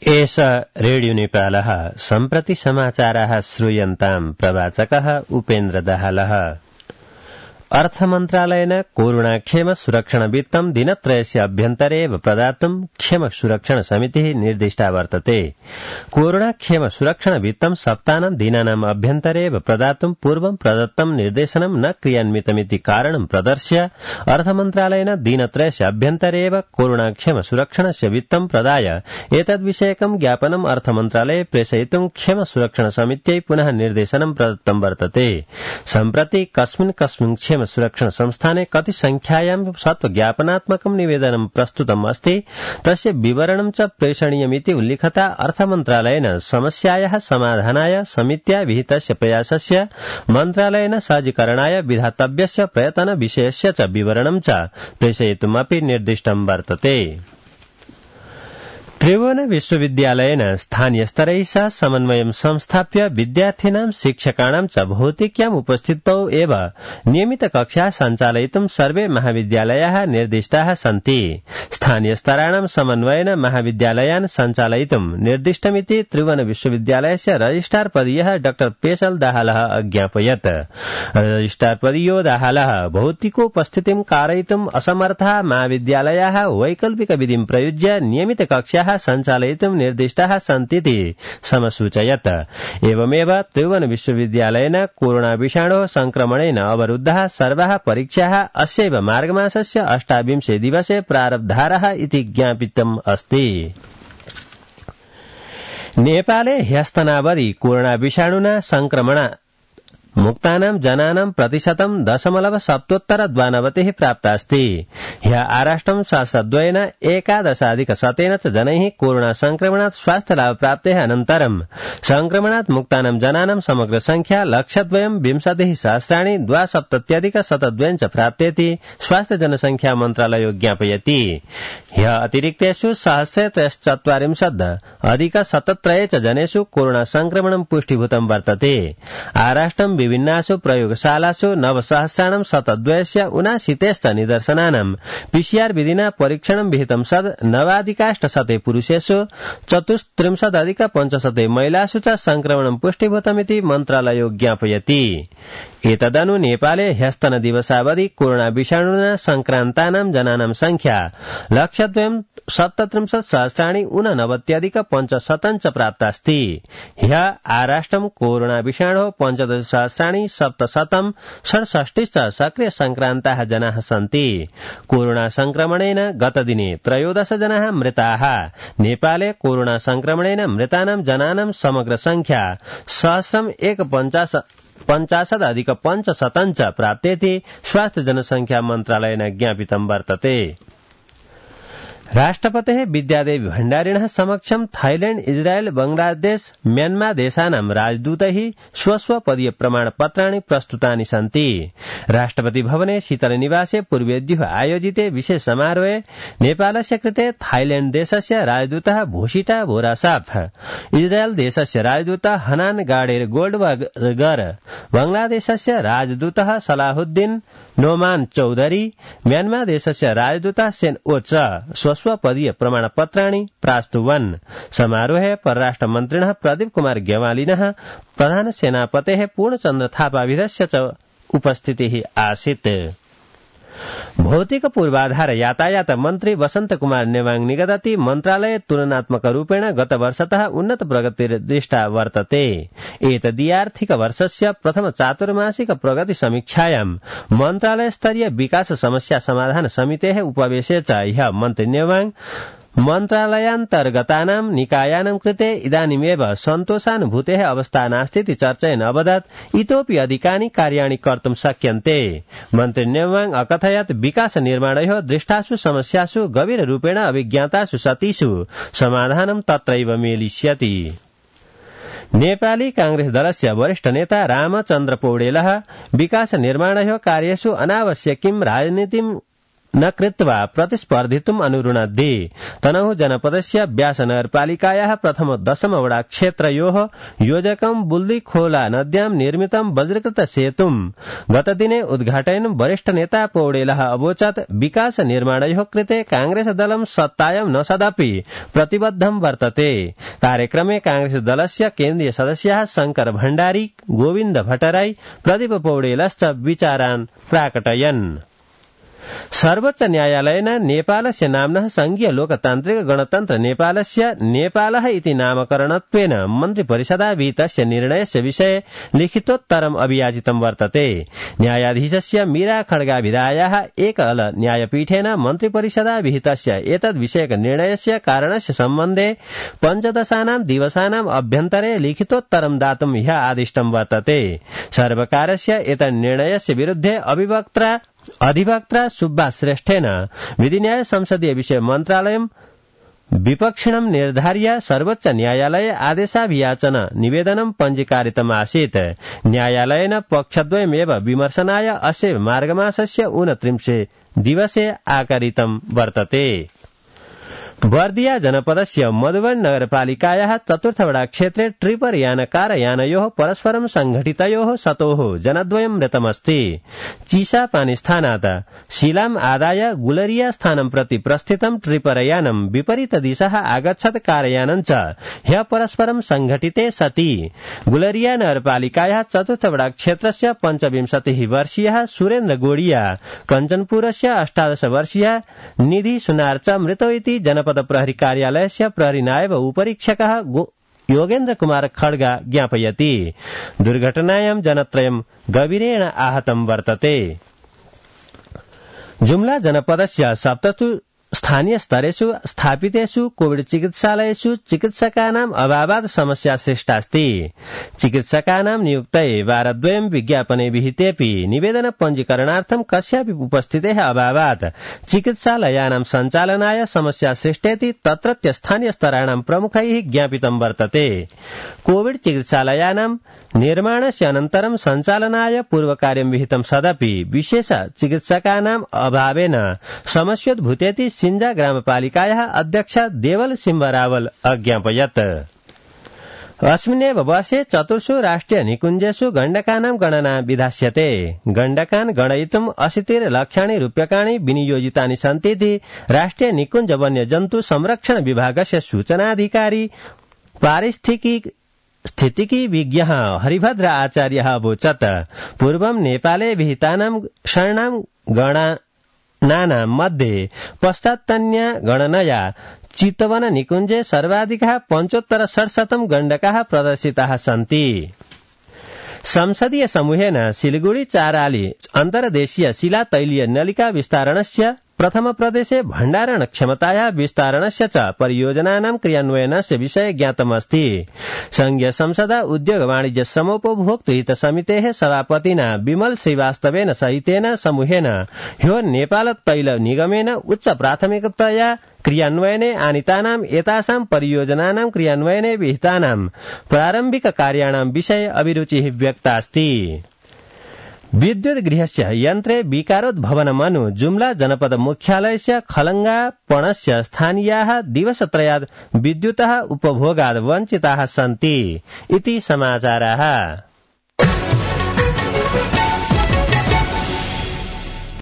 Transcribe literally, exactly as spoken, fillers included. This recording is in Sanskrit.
एष रेडियो नेपालः सम्प्रति समाचाराः श्रूयन्ताम् प्रवाचकः उपेन्द्र दाहालः। अर्थमन्त्रालयेन कोरोनाक्षेम सुरक्षण वित्तं दिनत्रयस्य अभ्यन्तरे एव प्रदातुं क्षेम सुरक्षण समितिः निर्दिष्टा वर्तते। कोरोनाक्षेम सुरक्षण वित्तं सप्ताहं दिनानाम् अभ्यन्तरे एव प्रदातुं पूर्वं प्रदत्तं निर्देशनं न क्रियान्वितमिति कारणं प्रदर्श्य अर्थमन्त्रालयेन दिनत्रयस्य अभ्यन्तरे एव कोरोनाक्षेम सुरक्षणस्य वित्तं प्रदाय एतद्विषयकं ज्ञापनम् अर्थमन्त्रालये प्रेषयितुं क्षेम सुरक्षण समित्यै पुनः निर्देशनं प्रदत्तं वर्तते। सम्प्रति कस्मिन् कस्मिन् क्षेम सुरक्षण संस्थाने कति संख्यायां सत्वज्ञापनात्मकं निवेदनं प्रस्तुतम् अस्ति तस्य विवरणं च प्रेषणीयमिति उल्लिखता अर्थमन्त्रालयेन समस्यायाः समाधानाय समित्या विहितस्य प्रयासस्य मन्त्रालयेन सहजीकरणाय विधातव्यस्य प्रयत्न विषयस्य च विवरणं च प्रेषयितुमपि निर्दिष्टं वर्तते। त्रिभुवन विश्वविद्यालयेन स्थानीयस्तरैः सह समन्वयं संस्थाप्य विद्यार्थिनां शिक्षकाणां च भौतिक्याम् उपस्थितौ एव नियमितकक्षाः सञ्चालयितुं सर्वे महाविद्यालयाः निर्दिष्टाः सन्ति। स्थानीयस्तराणां समन्वयेन महाविद्यालयान् सञ्चालयितुं निर्दिष्टमिति त्रिभुवन विश्वविद्यालयस्य रजिस्ट्रार पदीयः डॉ पेशल दाहालः अज्ञापयत्। रजिस्ट्रार पदीयो दाहालः भौतिकोपस्थितिं कारयितुम् असमर्थाः महाविद्यालयाः वैकल्पिकविधिं प्रयुज्य नियमितकक्षाः सञ्चालयितुं निर्दिष्टाः सन्तीति समसूचयत्। एवमेव त्रिभुवन विश्वविद्यालयेन कोरोना विषाणोः संक्रमणेन अवरुद्धाः सर्वाः परीक्षाः अस्यैव मार्गमासस्य अष्टाविंशे दिवसे प्रारब्धारः इति ज्ञापितम् अस्ति। नेपाले ह्यस्तनावधि कोरोना विषाणुना संक्रमण मुक्तानां जनानां प्रतिशतं दशमलव सप्तोत्तर द्वानवतिः प्राप्तास्ति। ह्य आराष्ट्रं शास्त्रद्वयेन एकादशाधिक शतेन च जनैः कोरोना संक्रमणात् स्वास्थ्यलाभ प्राप्तेः अनन्तरं संक्रमणात् मुक्तानां जनानां समग्र संख्या लक्षद्वयं विंशतिः सहस्राणि द्वासप्तत्यधिक शतद्वयं च प्राप्तेति स्वास्थ्य जनसंख्या मन्त्रालयो ज्ञापयति। ह्य अतिरिक्तेषु सहस्रे त्रयश्चत्वारिंशत् अधिक शतत्रये च जनेषु कोरोना संक्रमणं पुष्टिभूतं वर्तते। आराष्ट्रं विभिन्नासु प्रयोगशालासु नवसहस्राणां शतद्वयस्य ऊनाशीतेश्च निदर्शनानां पीसीआर विधिना परीक्षणं विहितं सद् नवाधिकाष्टशते पुरुषेषु चतुस्त्रिंशदधिक पञ्चशते महिलासु च संक्रमणं पुष्टिभूतमिति मन्त्रालयो ज्ञापयति। एतदनु नेपाले ह्यस्तन दिवसावधि कोरोना विषाणुना संक्रान्तानां जनानां संख्या लक्षद्वयं सप्तत्रिंशत् सहस्राणि ऊननवत्यधिक पञ्चशतं च प्राप्तास्ति। ह्य आराष्ट्रं कोरोना विषाणोः पञ्चदश सहस्राणि सप्तशतं षड्षष्टिश्च सक्रिय संक्रान्ताः जनाः सन्ति। कोरोना संक्रमणेन गतदिने त्रयोदश जनाः मृताः। नेपाले कोरोना संक्रमणेन मृतानां जनानां समग्र संख्या सहस्रम् एक पञ्चाशदधिक पञ्चशतं च प्राप्तेति स्वास्थ्य जनसंख्या मन्त्रालयेन ज्ञापितं वर्तते। राष्ट्रपतेः विद्यादेवी भण्डारिणः समक्षं थाईलैंड, इजरायल, बांग्लादेश, म्यानमार देशानां राजदूतैः स्वस्वपदीय प्रमाणपत्राणि प्रस्तुतानि सन्ति। राष्ट्रपति भवने शीतलनिवासे पूर्वेद्युः आयोजिते विशेष समारोहे नेपालस्य कृते थाईलैंड देशस्य राजदूतः भूषिता बोरासाफ, इजरायल देशस्य राजदूतः हनान गाडेर गोल्डबर्गर, बांग्लादेशस्य राजदूतः सलाहुद्दीन नोमान चौधरी, म्यानमार देशस्य राजदूतः सेन ओ च स्वस्वपदीय प्रमाणपत्राणि प्रास्तुवन्। समारोहे परराष्ट्र मन्त्रिणः प्रदीप कुमार ग्यवालिनः, प्रधान सेनापतेः पूर्णचन्द्र थापाविधस्य च उपस्थितिः आसीत्। भौतिक पूर्वाधार यातायात मन्त्री वसंत कुमार नेवाङ निगदति मन्त्रालये तुलनात्मक रूपेण गत वर्षतः उन्नत प्रगतिर्दृष्टा वर्तते। एतदीयार्थिक वर्षस्य प्रथम चातुर्मासिक प्रगति समीक्षायां मन्त्रालय स्तरीय विकास समस्या समाधान समितेः उपवेशे च ह्यः मन्त्री नेवाङ मन्त्रालयान्तर्गतानां निकायानां कृते इदानीमेव सन्तोषानुभूतेः अवस्था नास्तीति चर्चयन् अवदत् इतोपि अधिकानि कार्याणि कर्तुं शक्यन्ते। मन्त्री नेवाङ अकथयत् विकास निर्माणयोः दृष्टासु समस्यासु गभीररूपेण अभिज्ञातासु सतीषु समाधानं तत्रैव मेलिष्यति। नेपाली कांग्रेस दलस्य वरिष्ठ नेता रामचन्द्र पौडेलः विकास निर्माणयोः कार्येषु अनावश्यकीं राजनीतिं न कृत्वा प्रतिस्पर्धितुम् अनुरुणद्धि तनहु जनपदस्य व्यासनगरपालिकायाः प्रथम दशम वडा क्षेत्रयोः योजकं बुल्लीखोला नद्यां निर्मितं वज्रकृत सेतुं गतदिने उद्घाटयन् वरिष्ठ नेता पौडेलः अवोचत् विकास निर्माणयोः कृते कांग्रेस दलं सत्तायां न सदपि प्रतिबद्धं वर्तते। कार्यक्रमे कांग्रेस दलस्य केन्द्रीय सदस्याः शंकर भण्डारी, गोविन्द भट्टराई, प्रदीप पौडेलश्च विचारान् प्राकटयन्। सर्वोच्च न्यायालयेन नेपालस्य नाम्नः संघीय लोकतान्त्रिक गणतन्त्र नेपालस्य नेपालः इति नामकरणत्वेन मन्त्रिपरिषदा विहितस्य निर्णयस्य विषये लिखितोत्तरम् अभियाचितं वर्तते। न्यायाधीशस्य मीरा खड्गाभिधायाः एकल न्यायपीठेन मन्त्रिपरिषदा विहितस्य एतद्विषयक निर्णयस्य कारणस्य सम्बन्धे पञ्चदशानां दिवसानाम् अभ्यन्तरे लिखितोत्तरं दातुं ह्यः आदिष्टं वर्तते। सर्वकारस्य एतन्निर्णयस्य विरुद्धे अभिवक्त्रा अधिवक्त्रा सुब्बा श्रेष्ठेन विधिन्याय संसदीय विषय मन्त्रालयं विपक्षिणं निर्धार्य सर्वोच्च न्यायालये आदेशाभियाचन निवेदनं पञ्जीकारितमासीत्। न्यायालयेन पक्षद्वयमेव विमर्शनाय अस्य मार्गमासस्य ऊनत्रिंशे दिवसे आकारितं वर्तते। बर्दिया जनपदस्य मधुबन नगरपालिकायाः चतुर्थवडा क्षेत्रे ट्रिपर यान कार यानयोः परस्परं संघटितयोः सतोः जनद्वयं मृतमस्ति। चिसापानी स्थानात् शिलाम आदाय गुलरिया स्थानं प्रति प्रस्थितं ट्रिपर यानं विपरीत दिशः आगच्छत् कारयानं च ह्यः परस्परं संघटिते सति गुलरिया नगरपालिकायाः चतुर्थवडा क्षेत्रस्य पञ्चविंशतिः वर्षीयः सुरेन्द्र गोडिया, कञ्चनपुरस्य अष्टादश वर्षीयः निधि सुनार च मृतौ इति जनपद प्रहरी कार्यालयस्य प्रहरी नायब उपरीक्षकः योगेन्द्र कुमार खड्गा ज्ञापयति। दुर्घटनायां जनत्रयं गभीरेण आहतं वर्तते। जुम्ला जनपदस्य सप्तसु स्थानीय स्तरेषु स्थापितेषु कोविड चिकित्सालयेषु चिकित्सकानाम् अभावात् समस्या सृष्टास्ति। चिकित्सकानां नियुक्तये वारद्वयं विज्ञापने विहितेऽपि निवेदन पञ्जीकरणार्थं कस्यापि उपस्थितेः अभावात् चिकित्सालयानां सञ्चालनाय समस्या सृष्टेति तत्रत्य स्थानीय स्तराणां प्रमुखैः ज्ञापितं वर्तते। कोविड चिकित्सालयानां निर्माणस्य अनन्तरं सञ्चालनाय पूर्वकार्यं विहितं सदपि विशेष चिकित्सकानाम् अभावेन समस्योद्भूतेति सिंजा ग्रामपालिकायाः अध्यक्ष देवल सिंहरावल अज्ञापयत्। अस्मिन्नेव वर्षे चतुर्षु राष्ट्रिय निकुञ्जेषु गण्डकानां गणना विधास्यते। गण्डकान् गणयितुम् अशीतिर् लक्षाणि रूप्यकाणि विनियोजितानि सन्तीति राष्ट्रिय निकुञ्ज वन्य जन्तु संरक्षण विभागस्य सूचनाधिकारी पारिस्थितिकी स्थितिकी विज्ञः हरिभद्र आचार्यः अवोचत्। पूर्वं नेपाले विहितानां षण्णां गणनानां मध्ये पश्चात्तन्या गणनया चितवन निकुञ्जे सर्वाधिकः पञ्चोत्तर षट्शतं गण्डकाः प्रदर्शिताः सन्ति। संसदीय समूहेन सिलिगुड़ी चाराली अन्तर्देशीय शिला तैलीय नलिका विस्तारणस्य प्रथम प्रदेशे भण्डारण क्षमतायाः विस्तारणस्य च परियोजनानां क्रियान्वयनस्य विषये ज्ञातमस्ति। संघीय संसदा उद्योग वाणिज्य समोपभोक्तृ हित समितेः सभापतिना विमल श्रीवास्तवेन सहितेन समूहेन ह्यो नेपाल तैल निगमेन उच्च प्राथमिकतया क्रियान्वयने आनीतानां एतासां परियोजनानां क्रियान्वयने विहितानां प्रारम्भिक कार्याणां विषये अभिरुचिः व्यक्तास्ति। विद्युत गृहस्य यन्त्रे विकारोद्भवनमनु जुम्ला जनपद मुख्यालयस्य खलंगा पणस्य स्थानीयाः दिवसत्रयात् विद्युतः उपभोगात् वञ्चिताः सन्ति इति समाचाराः।